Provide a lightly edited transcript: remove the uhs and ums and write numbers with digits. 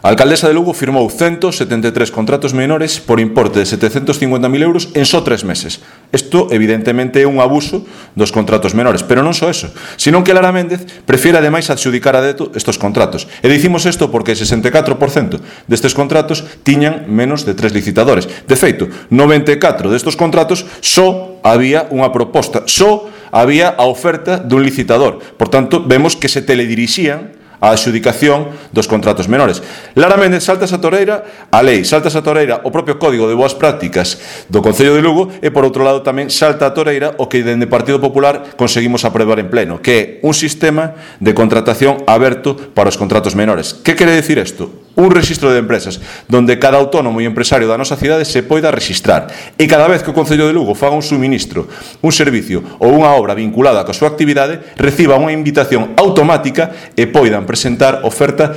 A alcaldesa de Lugo firmou 173 contratos menores por importe de 750.000 euros en só 3 meses. Isto, evidentemente, é un abuso dos contratos menores, pero non só eso, senón que Lara Méndez prefiere ademais adxudicar a dedo estes contratos. E dicimos isto porque 64% destes contratos tiñan menos de 3 licitadores. De feito, 94 destes contratos só había unha proposta, só había a oferta dun licitador. Por tanto, vemos que se teledirixían a adxudicación dos contratos menores. Lara Méndez salta a toreira a lei, salta a toreira o propio Código de Boas Prácticas do Concello de Lugo e, por outro lado, tamén salta a toreira o que dende Partido Popular conseguimos aprobar en pleno, que é un sistema de contratación aberto para os contratos menores. Que quere dicir isto? Un rexistro de empresas donde cada autónomo e empresario da nosa cidade se poida registrar e cada vez que o Concello de Lugo faga un suministro, un servicio ou unha obra vinculada coa súa actividade, reciba unha invitación automática e poidan presentar oferta